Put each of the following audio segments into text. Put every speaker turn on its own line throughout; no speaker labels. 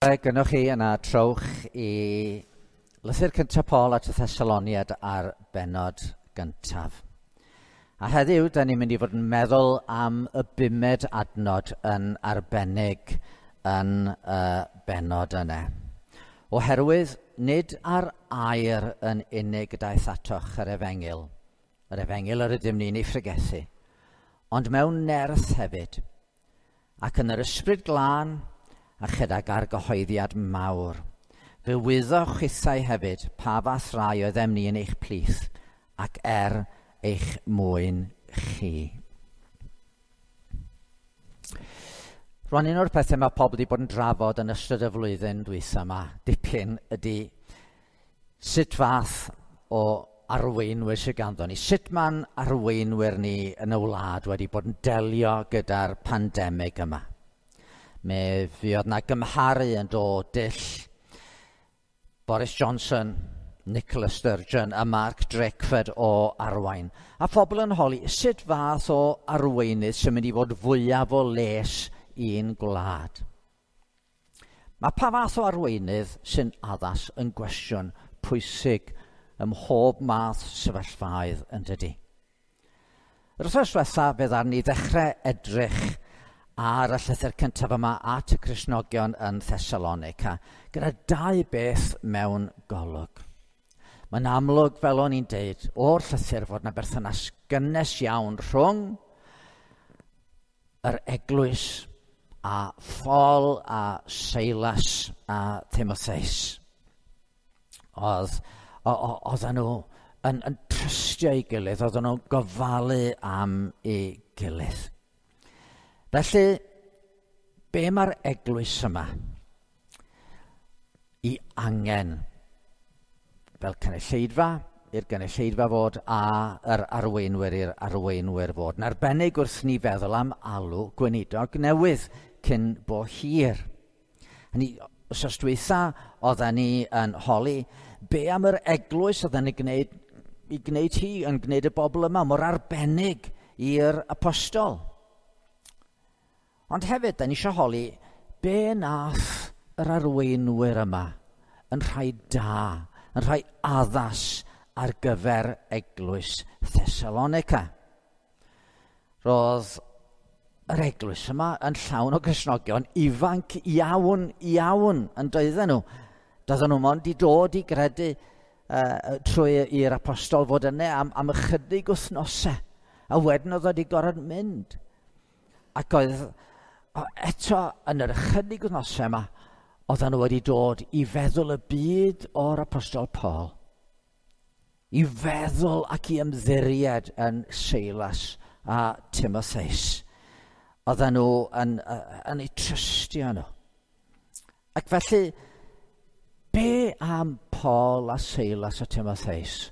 Gynnwch chi yna trowch i lythyr cyntaf Paul at y Thessaloniad ar bennod gyntaf. A heddiw, da ni'n mynd i fod yn meddwl am y bumed adnod yn arbennig yn y bennod yna. Oherwydd nid ar air yn unig daeth atoch yr efengyl, yr efengyl yr ydym ni'n ei phregethu, ond mewn nerth hefyd, ac yn yr ysbryd glân a chydag argyhoeddiad mawr. Fe wyddoch chithau hefyd pa fath rai oeddem ni yn eich plith ac er eich mwyn chi. Rwan, un o'r pethau mae pobl wedi bod yn drafod yn ystod y flwyddyn dwytha yma, dipyn, ydy sut fath o arweinwyr sydd ganddo ni. Sut mae'n arweinwyr ni yn y wlad wedi bod yn delio gyda'r pandemig yma. Mi fuodd na gymharu yn dod dull Boris Johnson, Nicola Sturgeon a Mark Drakeford o arwain. A phobl yn holi sut fath o arweinydd sy'n mynd i fod fwyaf o les i'n gwlad. Mae pa fath o arweinydd sy'n addas yn gwestiwn pwysig ym mhob math sefyllfaoedd yn dydy. Yr wythnos diwetha fe ddaru ni ddechrau edrych ar y llythyr cyntaf yma at y Cristnogion yn Thessalonica, gyda dau beth mewn golwg. Mae'n amlwg, fel o'n i'n deud, o'r llythyr fod yna berthynas gynnes iawn rhwng yr eglwys a Paul a Silas a Timotheus. Oedden nhw yn trystio ei gilydd, oedden nhw'n gofalu am ei gilydd. Felly, be mae'r eglwys yma i angen fel cynulleidfa, i'r gynulleidfa fod a yr arweinwyr i'r arweinwyr fod. Yn arbennig wrth ni feddwl am alw gweinidog newydd cyn bo hir. Hynny, wythnos dwytha, oedden ni yn holi be am yr eglwys oedden ni gwneud, i gwneud hi yn gwneud y bobl yma mor arbennig i'r apostol. Ond hefyd, da ni eisiau holi be nath yr arweinwyr yma yn rhai da, yn rhai addas ar gyfer eglwys Thessalonica. Roedd yr eglwys yma yn llawn o Gristnogion ifanc iawn, iawn yn doedden nhw. Doedden nhw mond i dod i gredu trwy i'r apostol fod yna am ychydig wythnosau. A wedyn oedd wedi gorfod mynd. Ac oedd eto yn yr ychydig wythnosau yma, oedden nhw wedi dod i feddwl y byd o'r apostol Paul. I feddwl ac i ymddiried yn Silas a Timotheus. Oedden nhw yn eu trystio nhw. Ac felly, be am Paul a Silas a Timotheus?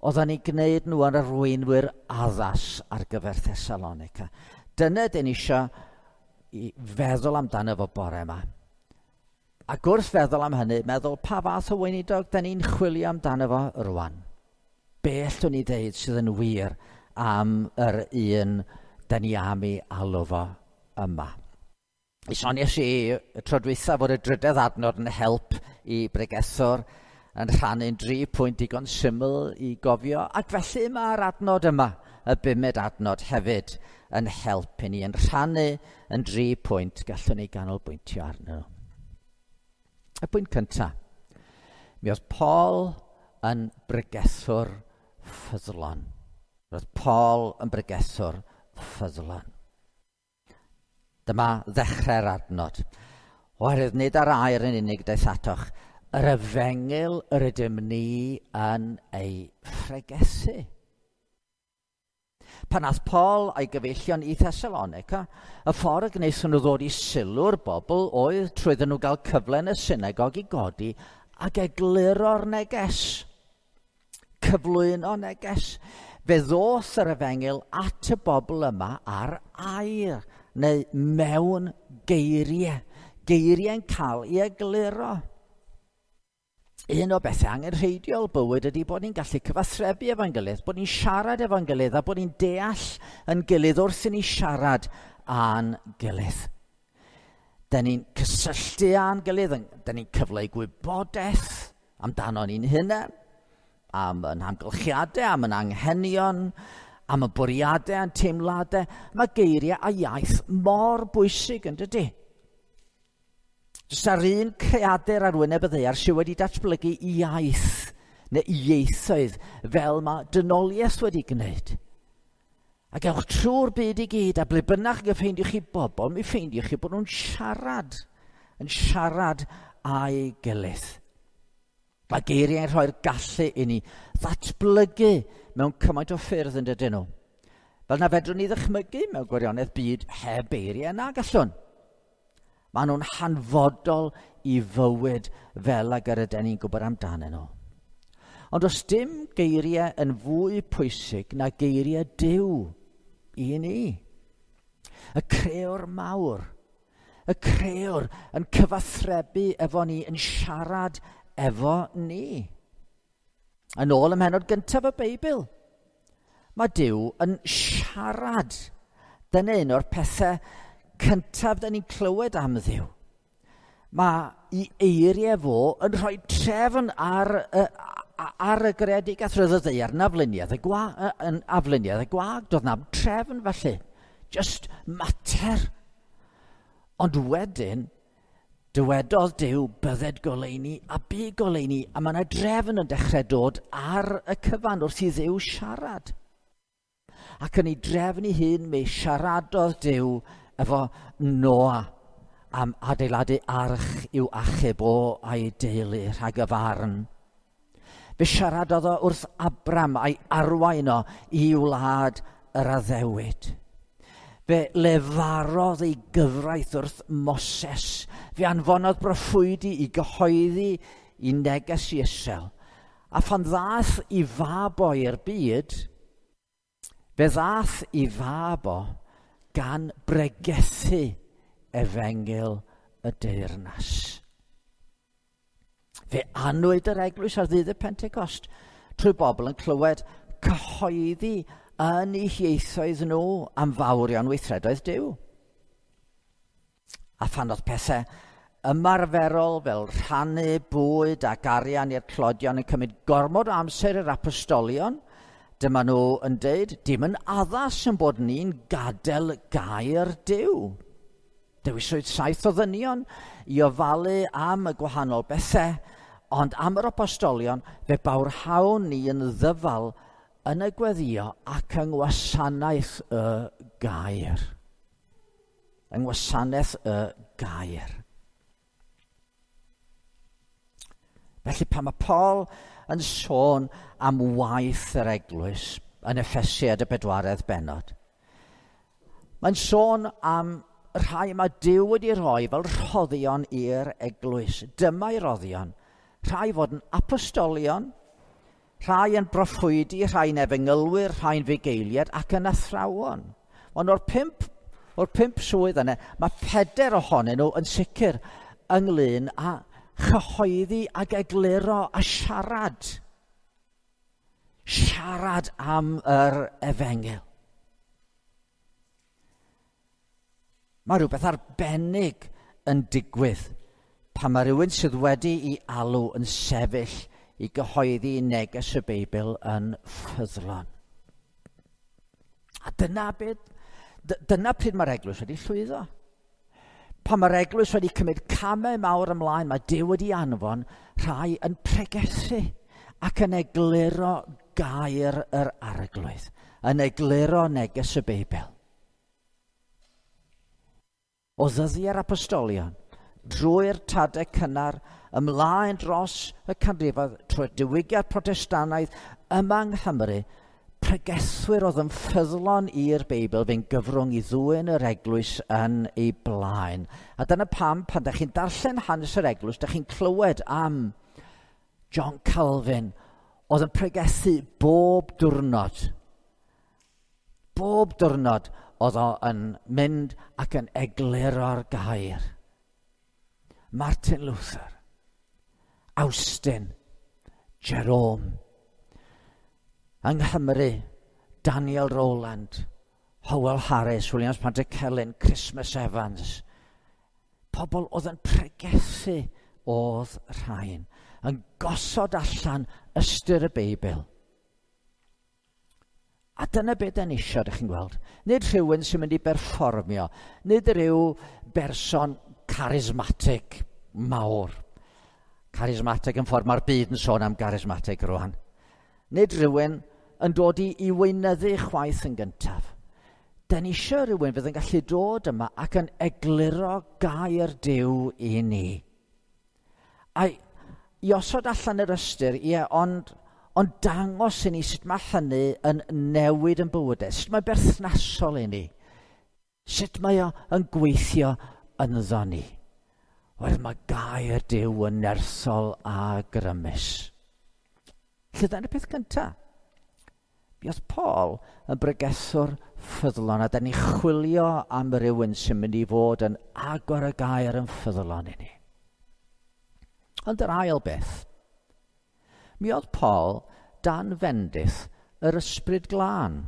Oedden ni'n gwneud nhw yn arweinwyr addas ar gyfer Thessalonica. Dyna dyn ni eisiau i feddwl amdano fo bore yma. Ac wrth feddwl am hynny, meddwl pa fath o weinidog da ni'n chwilio amdano fo rwan. Be allwn ni ddeud sydd yn wir am yr un da ni am ei alw fo yma. Mi soniais i y tro dwytha fod y drydedd adnod yn help i bregethwr yn rhannu'n 3 pwynt digon syml i gofio, ac felly mae'r adnod yma, y bumed adnod hefyd, yn help i ni, yn rhannu yn 3 pwynt gallwn ni ganolbwyntio arnyn nhw. Y pwynt cyntaf, mi oedd Paul yn bregethwr ffyddlon. Roedd Paul yn bregethwr ffyddlon. Dyma ddechrau'r adnod. Oherwydd nid ar air yn unig daeth atoch, yr efengyl yr ydym ni yn ei phregethu. Pan ath Paul a'i gyfeillion i Thessalonica, y ffordd y gwnaethon nhw ddod i sylw'r bobl oedd trwy iddyn nhw gael cyfle yn y synagog i godi ac egluro'r neges. Cyflwyno neges. Fe ddoth yr efengyl at y bobl yma ar air, neu mewn geiriau. Geiriau'n cael ei egluro. Un o bethau angenrheidiol bywyd ydy bod ni'n gallu cyfathrebu efo'n gilydd, bod ni'n siarad efo'n gilydd a bod ni'n deall yn gilydd wrth i ni siarad â'n gilydd. Da ni'n cysylltu â'n gilydd, da ni'n cyfleu gwybodaeth amdano ni'n hunain, am yn hamgylchiadau, am yn anghenion, am y bwriadau a'n teimladau. Mae geiriau a iaith mor bwysig yn dydy. Jyst ar un creadur ar wyneb y ddaear sydd wedi datblygu iaith neu ieithoedd fel mae dynoliaeth wedi gwneud. A gewch trwy'r byd i gyd, a ble bynnag y ffeindiwch chi bobl, mi ffeindiwch chi bod nhw'n siarad, yn siarad â'i gilydd. Mae geiriau'n rhoi'r gallu i ni ddatblygu mewn cymaint o ffyrdd yn dydyn nhw. Fel na fedrwn ni ddychmygu mewn gwirionedd byd heb eiriau na gallwn. Maen nhw'n hanfodol i fywyd fel ag yr ydyn ni'n gwybod amdanyn nhw. Ond does dim geiriau yn fwy pwysig na geiriau Duw i ni. Y crëwr mawr, y crëwr yn cyfathrebu efo ni, yn siarad efo ni. Yn ôl ym mhennod gyntaf y Beibl, mae Duw yn siarad. Dyna un o'r pethau cyntaf da ni'n clywed am Dduw. Mae ei eiriau fo yn rhoi trefn ar y greadigaeth. Roedd y ddaear yn afluniaidd y gwag. Doedd na'm trefn felly. Just mater. Ond wedyn, dywedodd Duw bydded goleuni a bu goleuni, a mae yna drefn yn dechrau dod ar y cyfan wrth i Dduw siarad. Ac yn ei drefn ei hun, mi siaradodd Duw efo Noa am adeiladu arch i'w achub o a'i deulu rhag y farn. Fe siaradodd o wrth Abram a'i arwain o i wlad yr addewid. Fe lefarodd ei gyfraith wrth Moses. Fe anfonodd broffwydi i gyhoeddi i neges i Israel. A phan ddaeth i fab o i'r byd, fe ddaeth i fab o gan bregethu efengyl y deyrnas. Fe anwyd yr eglwys ar ddydd y Pentecost trwy bobl yn clywed cyhoeddi yn eu hieithoedd nhw am fawrion weithredoedd Duw. A phan oedd pethau ymarferol fel rhannu bwyd ac arian i'r tlodion yn cymryd gormod o amser i'r apostolion, dyma nhw yn deud, dim yn addas yn bod ni'n gadael gair Duw. Dewiswyd 7 o ddynion i ofalu am y gwahanol bethau, ond am yr apostolion fe bawrhawn ni yn ddyfal yn y gweddio ac yng ngwasanaeth y gair. Yng ngwasanaeth y gair. Felly pan mae Paul yn sôn am waith yr eglwys yn Effesiaid y 4 bennod, mae'n sôn am rhai mae Duw wedi rhoi fel rhoddion i'r eglwys. Dyma'i roddion. Rhai fod yn apostolion, rhai yn broffwydi, rhai'n efengylwyr, rhai'n fugeiliaid ac yn athrawon. Ond o'r pump swydd yna, mae 4 ohonyn nhw yn sicr ynglyn â chyhoeddi ac egluro a siarad. Siarad am yr efengyl. Mae rhywbeth arbennig yn digwydd pan mae rhywun sydd wedi ei alw yn sefyll i gyhoeddi neges y Beibl yn ffyddlon. A dyna pryd mae'r eglwys wedi llwyddo. Pan mae'r eglwys wedi cymryd camau mawr ymlaen, mae Duw wedi anfon rhai yn pregethu ac yn egluro gair yr Arglwydd, yn egluro neges y Beibl. O ddyddiau'r apostolion, drwy'r tadau cynnar, ymlaen dros y canrifoedd, trwy'r diwygiad Protestannaidd yma yng Nghymru, pregethwyr oedd yn ffyddlon i'r Beibl fe'n gyfrwng i ddwyn yr eglwys yn ei blaen. A dyna pam, pan ydych chi'n darllen hanes yr eglwys, ydych chi'n clywed am John Calvin, oedd yn pregethu bob diwrnod. Bob diwrnod oedd o yn mynd ac yn egluro'r gair. Martin Luther, Austin, Jerome. Yng Nghymru, Daniel Rowland, Howell Harris, Williams Pantycelyn, Christmas Evans. Pobl oedd yn pregethu oedd rhain, yn gosod allan ystyr y Beibl. A dyna beth da ni isio, ydych chi'n gweld. Nid rhywun sy'n mynd i berfformio, nid rhyw berson charismatic mawr. Charismatic yn ffordd mae'r byd yn sôn am charismatic rwan. Nid rhywun yn dod i weinyddu chwaith yn gyntaf. Da ni eisiau rhywun fydd yn gallu dod yma ac yn egluro gair Duw i ni. A i osod allan yr ystyr, ie, ond dangos i ni sut mae hynny yn newid yn bywydau, sut mae berthnasol i ni, sut mae o yn gweithio ynddo ni. Oherwydd mae gair Duw yn nerthol a grymus. Felly dyna'r peth cyntaf. Buodd Paul yn bregethwr ffyddlon, a da ni chwilio am rywun sy'n mynd i fod yn agor y gair yn ffyddlon i ni. Ond yr ail beth, mi oedd Paul dan fendith yr Ysbryd Glân.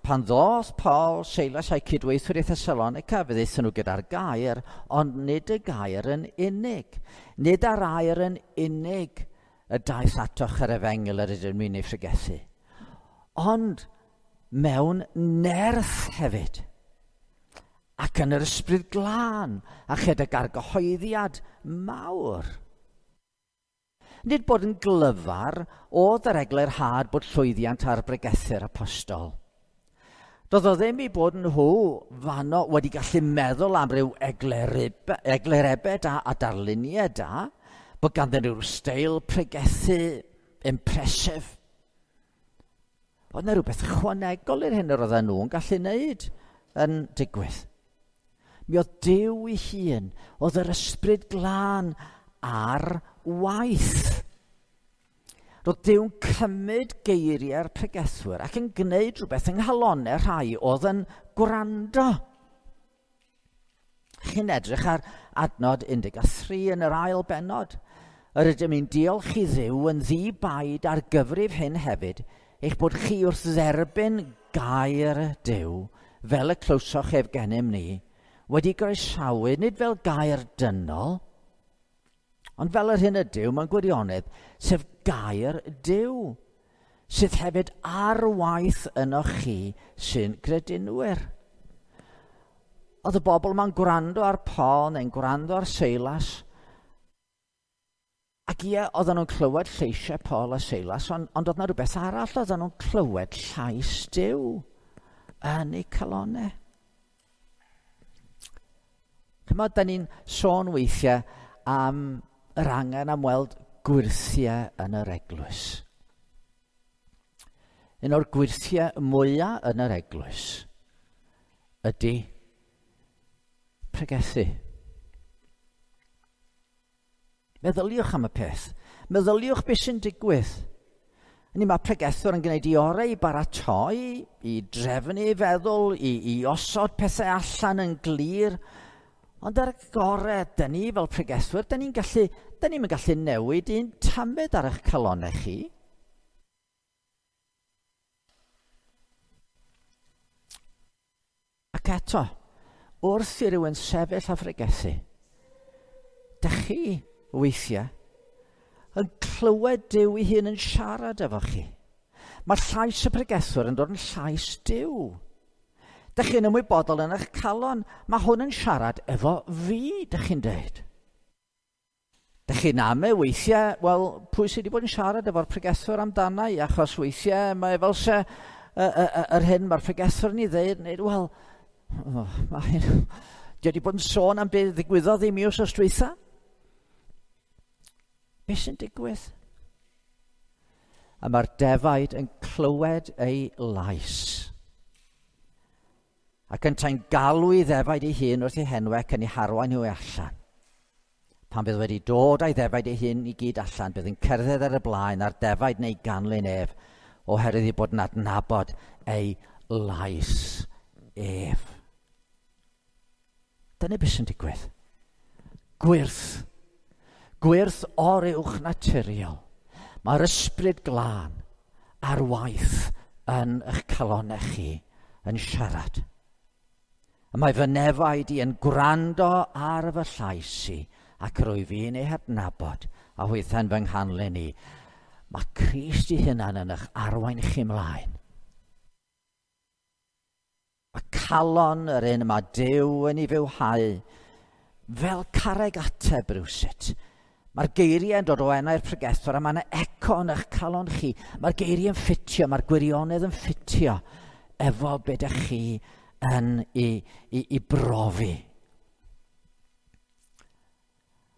Pan ddoth Paul, Seilas a'i cydweithwyr i Thessalonica, fe ddaethon nhw gyda'r gair, ond nid y gair yn unig. Nid ar air yn unig y daeth atoch yr efengyl yr ydym ni'n ei phregethu. Ond mewn nerth hefyd. Ac yn yr Ysbryd Glân, a chydag argyhoeddiad mawr. Nid bod yn glyfar oedd yr eglurhad bod llwyddiant ar bregethu'r apostol. Doedd o ddim i bod nhw fanno wedi gallu meddwl am ryw eglurebau da a darluniau da, bod ganddyn nhw steil pregethu impressive. Oedd yna rhywbeth ychwanegol i'r hyn yr oedden nhw'n gallu wneud yn digwydd. Mi oedd Duw ei hun, oedd yr Ysbryd Glân ar waith. Roedd Duw'n cymryd geiriau'r pregethwyr ac yn gwneud rhywbeth yng nghalonnau rhai oedd yn gwrando. Chi'n edrych ar adnod 13 yn yr ail bennod. Yr ydym ni'n diolch i Dduw yn ddi-baid ar gyfrif hyn hefyd, eich bod chi wrth dderbyn gair Duw, fel y clywsoch ef gennym ni, wedi groesawu nid fel gair dynol, ond fel yr hyn ydyw mewn gwirionedd, sef gair Duw, sydd hefyd ar waith ynoch chi sy'n gredinwyr. Oedd y bobl yma'n gwrando ar Paul neu'n gwrando ar Seilas, ac ie, oedden nhw'n clywed lleisiau Paul a Seilas, ond oedd yna rhywbeth arall, oedden nhw'n clywed llais Duw yn eu calonnau. Chymod, da ni'n sôn weithiau am yr angen am weld gwyrthiau yn yr eglwys. Un o'r gwyrthiau mwyaf yn yr eglwys ydy pregethu. Meddyliwch am y peth. Meddyliwch beth sy'n digwydd. Ni mae pregethwr yn gwneud ei orau i baratoi, i drefnu ei feddwl, i osod pethau allan yn glir. Ond ar y gorau, da ni fel pregethwyr, da ni'n gallu newid un tamed ar eich calonnau chi. Ac eto, wrth i rywun sefyll a phregethu, da chi weithiau yn clywed Duw ei hun yn siarad efo chi. Mae llais y pregethwr yn dod yn llais Duw. Da chi'n ymwybodol yn eich calon, mae hwn yn siarad efo fi, da chi'n dweud. Da chi'n ame weithiau, wel, pwy sydd wedi bod yn siarad efo'r pregethwr amdana i, achos weithiau mae fel se yr hyn mae'r pregethwr yn ei ddeud, neu, wel, mae hyn, di wedi bod yn sôn am beth ddigwyddodd i mi wythnos dwytha. Be sy'n digwydd? A mae'r defaid yn clywed ei lais. Ac yntau'n galw i ddefaid ei hun wrth ei henwau ac yn ei harwain nhw allan. Pan bydd wedi dod a'i ddefaid ei hun i gyd allan, bydd yn cerdded ar y blaen a'r defaid neu ganlyn ef, oherwydd ei bod yn adnabod ei lais ef. Dyna beth sy'n digwydd. Gwyrth. Gwyrth oruwch naturiol. Mae'r Ysbryd Glân ar waith yn eich calonnau chi yn siarad. Y mae fy nefaid i yn gwrando ar fy llais i, ac rwyf fi'n ei hadnabod, a hwythau'n fy nghanlyn i. Mae Crist ei hunan yn eich arwain chi mlaen. Mae calon yr un yma Duw yn ei fywhau fel carreg ateb rywsut. Mae'r geiriau yn dod o enau'r pregethwr a mae yna eco yn eich calon chi. Mae'r geiriau yn ffitio, mae'r gwirionedd yn ffitio efo be ydych chi yn ei brofi.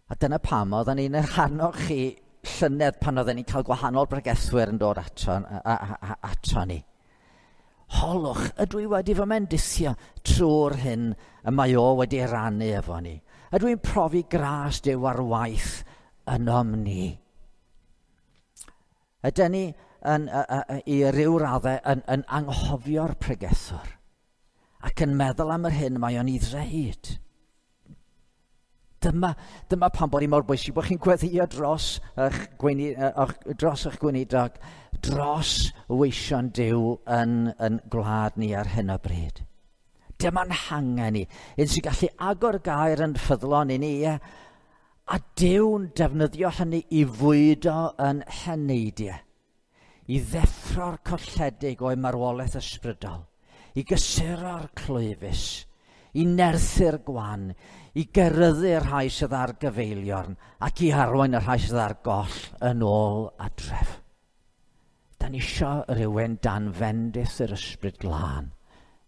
A dyna pam oedden ni'n eich annog chi llynedd pan oedden ni'n cael gwahanol bregethwyr yn dod ato ni. Holwch, ydw i wedi fy mendithio trwy'r hyn y mae o wedi rannu efo ni? Ydw i'n profi gras Duw ar waith ynom ni? Ydyn ni i ryw raddau yn anghofio'r pregethwr ac yn meddwl am yr hyn mae o'n ei ddweud? Dyma pam bod hi mor bwysig bod chi'n gweddïo dros eich gweinidog, dros weision Duw yn gwlad ni ar hyn o bryd. Dyma'n hangen ni, un sy'n gallu agor gair yn ffyddlon i ni, a Duw'n defnyddio hynny i fwydo yn heneidiau, i ddeffro'r colledig o'i marwolaeth ysbrydol, i gysuro'r clwyfus, i nerthu'r gwan, i geryddu'r rhai sydd ar gyfeiliorn ac i arwain y rhai sydd ar goll yn ôl adref. Da ni isio rhywun dan fendith yr Ysbryd Glân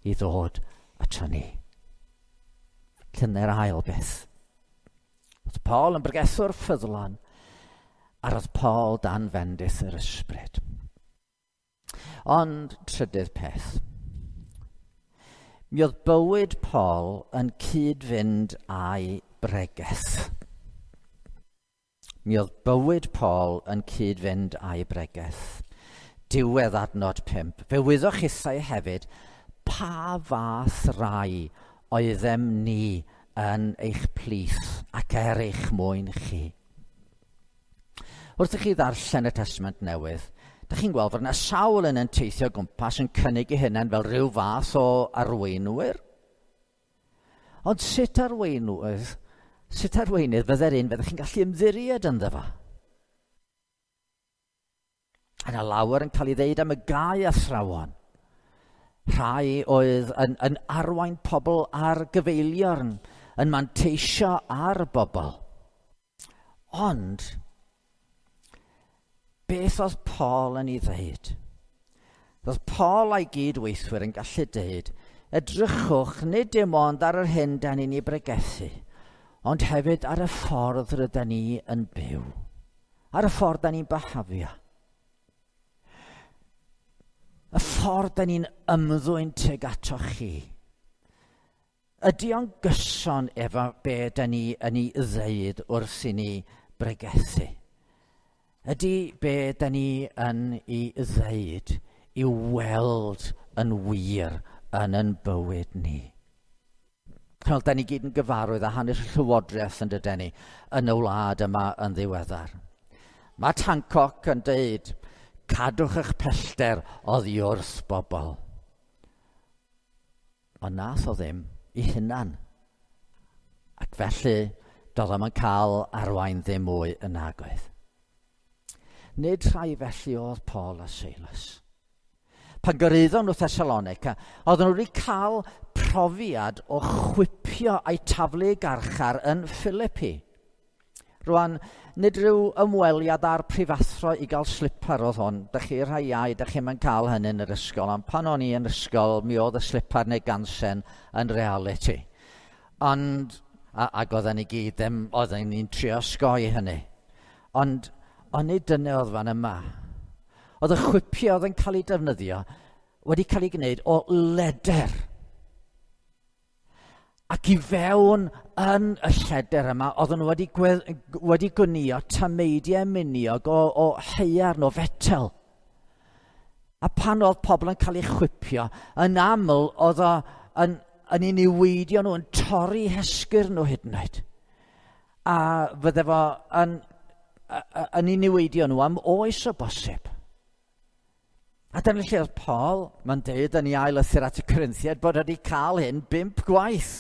i ddod ato ni. Dyna'r ail beth. Oedd Paul yn bregethwr ffyddlon, a roedd Paul dan fendith yr Ysbryd. Ond trydydd peth. Mi oedd bywyd Paul yn cyd-fynd â'i bregeth. Mi oedd bywyd Paul yn cyd-fynd â'i bregeth. Diwedd adnod 5. Fe wyddoch chithau hefyd pa fath rai oeddem ni yn eich plith ac er eich mwyn chi. Wrth i chi ddarllen y Testament Newydd, dych chi'n gweld fod yna sawl yn teithio gwmpas yn cynnig eu hunain fel rhyw fath o arweinwyr. Ond sut arweinydd fydde'r un fyddech chi'n gallu ymddiried ynddo fo? Yna lawer yn cael ei ddeud am y gau athrawon. Rhai oedd yn arwain pobl ar gyfeiliorn, yn manteisio ar bobl. Ond beth oedd Paul yn ei ddeud? Oedd Paul a'i gydweithwyr yn gallu deud, edrychwch nid dim ond ar yr hyn da ni'n ei bregethu, ond hefyd ar y ffordd rydyn ni yn byw, ar y ffordd da ni'n byhafio, y ffordd da ni'n ymddwyn tuag ato chi. Ydy o'n gyson efo be da ni yn ei ddeud wrth i ni bregethu? Ydy be da ni yn ei ddeud i'w weld yn wir yn yn bywyd ni? Wel, da ni gyd yn gyfarwydd â hanes y llywodraeth yn dydyn ni yn y wlad yma yn ddiweddar. Mae Hancock yn deud, cadwch eich pellter oddi wrth bobl. Ond nath o ddim i hunan. Ac felly, doedd o'm yn cael arwain ddim mwy yn nagoedd. Nid rhai felly oedd Paul a Silas. Pan gyrhaeddon nhw Thessalonica, oedden nhw wedi cael profiad o chwipio a'i taflu garchar yn Philippi. Rwan, nid rhyw ymweliad â'r prifathro i gael slipar oedd hwn. Dych chi rhai iau, dych chi'm yn cael hynny yn yr ysgol. Ond pan o'n i yn ysgol, mi oedd y slipar neu gansen yn reality. Ond, ac oedden ni gyd ddim, oedden ni'n trio osgoi hynny. Ond nid dyna oedd fan yma. Oedd y chwipio oedd yn cael ei defnyddio wedi cael ei gwneud o leder. Ac i fewn yn y lleder yma, oedden nhw wedi gwnïo tameidiau miniog o haearn, o fetel. A pan oedd pobl yn cael eu chwipio, yn aml oedd o yn ei niweidio nhw, yn torri hesgyrn nhw hyd yn oed. A fydde fo yn ei niweidio nhw am oes o bosib. A dyna lle oedd Paul, mae'n deud yn ei ail lythyr at y Corinthiaid, bod wedi cael hyn 5 gwaith.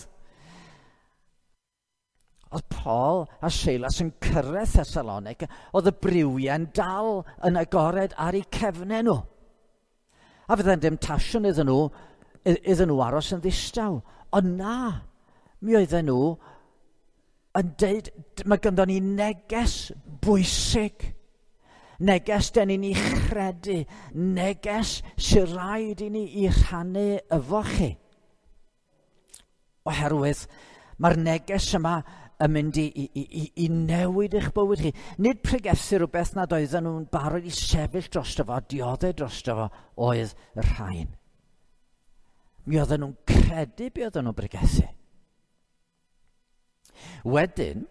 Oedd Paul a Silas yn cyrraedd Thessalonica, oedd y briwiau'n dal yn agored ar eu cefnau nhw. A fydde'n demtasiwn iddyn nhw aros yn ddistaw. Ond na, mi oedden nhw yn deud, mae ganddo ni neges bwysig. Neges den ni'n ei chredu, neges sy'n rhaid i ni i rhannu efo chi. Oherwydd mae'r neges yma yn mynd i newid eich bywyd chi. Nid pregethu rhywbeth nad oedden nhw'n barod i sefyll drosto fo, dioddef drosto fo, oedd y rhain. Mi oedden nhw'n credu be oedden nhw'n pregethu. Wedyn,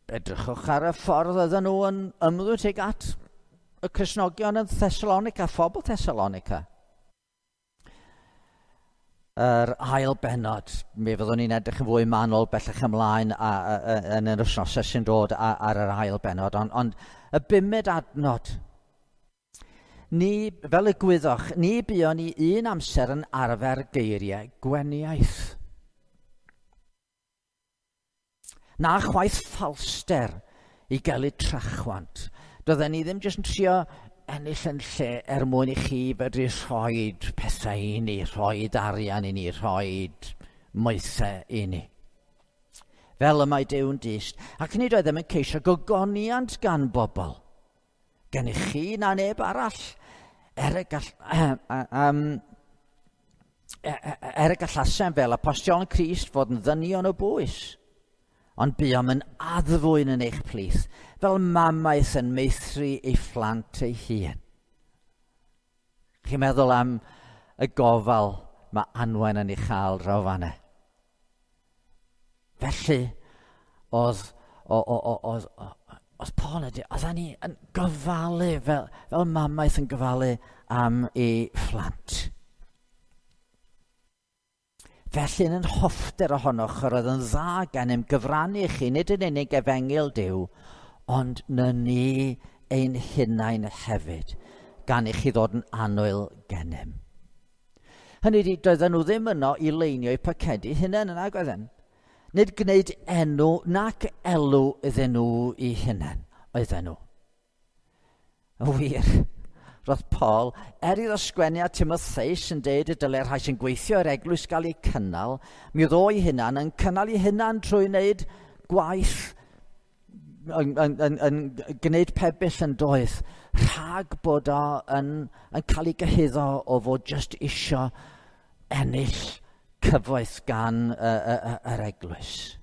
edrychwch ar y ffordd oedden nhw yn ymddwyn tuag at y Cristnogion yn Thessalonica, phobl Thessalonica. Yr ail bennod, mi fyddwn ni'n edrych yn fwy manwl bellach ymlaen yn yr wythnosau sy'n dod ar yr ail bennod, ond y 5 adnod. Ni, fel y gwyddoch, ni buon ni un amser yn arfer geiriau gweniaith. Na chwaith ffalster i gael eu trachwant. Doedden ni ddim jyst yn trio ennill yn lle er mwyn i chi fedru rhoi pethau i ni, rhoi arian i ni, rhoi moethau i ni. Fel y mae Duw'n dyst. Ac nid oeddem yn ceisio gogoniant gan bobl. Gennych chi na neb arall. Er y gallasem fel apostolion Crist fod yn ddynion o bwys. Ond buom yn addfwyn yn eich plith, fel mamaeth yn meithru ei phlant ei hun. Chi'n meddwl am y gofal mae Anwen yn ei chael draw fan'na. Felly, oedd Paul yn dweud, oedden ni yn gofalu fel mamaeth yn gofalu am ei phlant. Felly yn hoffter ohonoch yr oedd yn dda gennym gyfrannu chi, nid yn unig efengyl Duw, ond na ni ein hunain hefyd, gan i chi ddod yn annwyl gennym. Hynny ydi, doedden nhw ddim yno i leinio eu pacedi hunain yn nag oedden. Nid gwneud enw nac elw iddyn nhw i hunain, oedden nhw. Yn wir, roedd Paul, iddo sgwennu at Timotheus yn deud y dylai'r rhai sy'n gweithio i'r eglwys gael eu cynnal, mi oedd o'i hunan yn cynnal ei hunan trwy wneud gwaith, yn gwneud pebyll yn doedd, rhag bod o yn cael ei gyhuddo o fod jyst isio ennill cyfoeth gan yr eglwys.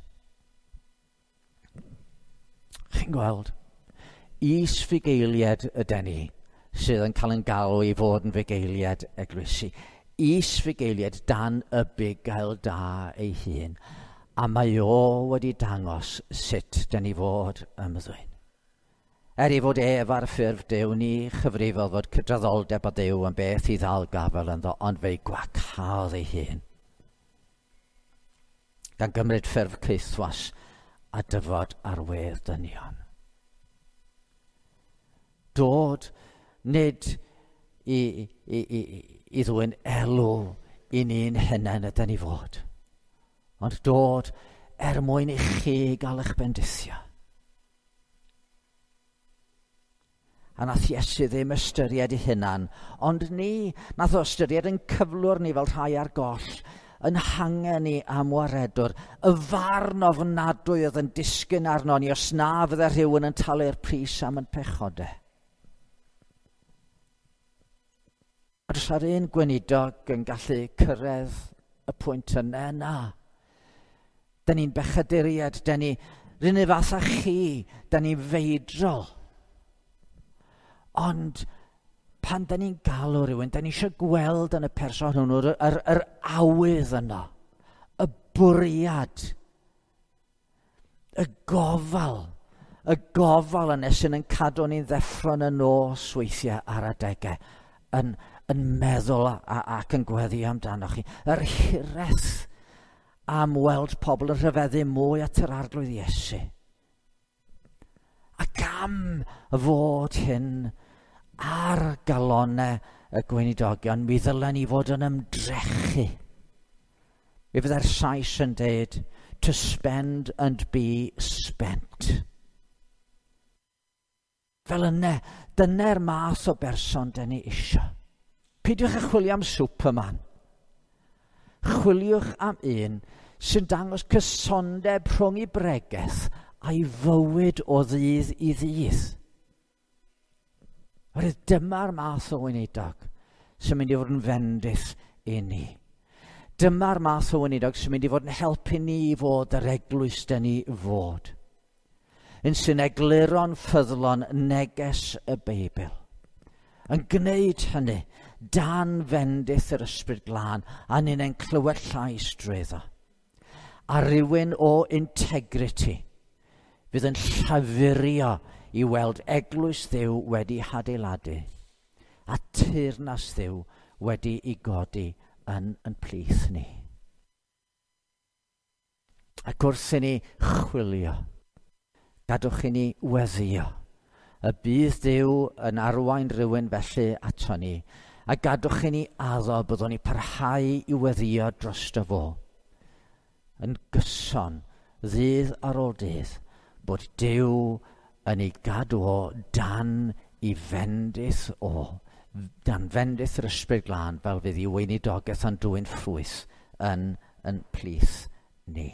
Chi'n gweld, is-fugeiliaid yden ni sydd yn cael yn galw i fod yn fugeiliaid eglwysi. Is-fugeiliaid dan y bugail da ei hun. A mae o wedi dangos sut dyn ni fod ymddwyn. Er ei fod ef ar ffurf Duw, ni chyfrifodd fod cydraddoldeb â Duw yn beth i ddal gafael ynddo, ond fe'i gwacaodd ei hun. Gan gymryd ffurf caethwas a dyfod ar wedd dynion. Dod nid i ddwyn elw i ni'n hunain yden ni fod, ond dod er mwyn i chi gael eich bendithio. A nath Iesu ddim ystyried ei hunan, ond ni, nath o ystyried yn cyflwr ni fel rhai ar goll, yn hangen ni am waredwr, y farn ofnadwy oedd yn disgyn arno ni os na fydde rhywun yn talu'r pris am yn pechodau. A does ar un gweinidog yn gallu cyrraedd y pwynt yna, na. Dyn ni'n bechaduriaid, dyn ni r'un fath â chi, dyn ni'n feidrol. Ond pan dyn ni'n galw rhywun, dyn ni eisiau gweld yn y person hwnnw yr awydd yno, y bwriad, y gofal yna sy'n yn cadw ni'n ddeffro yn y nos weithiau ar adegau, yn meddwl ac yn gweddi amdanoch chi. Yr hiraeth am weld pobl yn rhyfeddu mwy at yr Arglwydd Iesu. Ac am fod hyn ar galonau y gweinidogion, mi ddylen ni fod yn ymdrechu. Mi fydde'r Sais yn deud, "To spend and be spent." Fel yna, dyna'r math o berson dyn ni isio. Peidiwch â chwilio am Superman. Chwiliwch am un sy'n dangos cysondeb rhwng ei bregeth a'i fywyd o ddydd i ddydd. Oherwydd dyma'r math o weinidog sy'n mynd i fod yn fendith i ni. Dyma'r math o weinidog sy'n mynd i fod yn helpu ni i fod yr eglwys dyn ni fod. Un sy'n egluro'n ffyddlon neges y Beibl. Yn gwneud hynny dan fendith yr Ysbryd Glân a ni'n clywed llais drwyddo. A rhywun o integrity fydd yn llafurio i weld eglwys Dduw wedi hadeiladu a teyrnas Dduw wedi i godi yn plith ni. Ac wrth i ni chwilio, gadwch i ni weddio y bydd Duw yn arwain rhywun felly ato ni, a gadwch i ni addo byddwn ni parhau i weddio drosto fo yn gyson, ddydd ar ôl dydd, bod Duw yn ei gadw o dan i fendith o, dan fendith yr Ysbryd Glân, fel fydd ei weinidogaeth yn dwyn ffrwyth yn plith ni.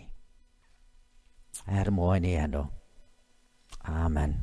Er mwyn ei enw. Amen.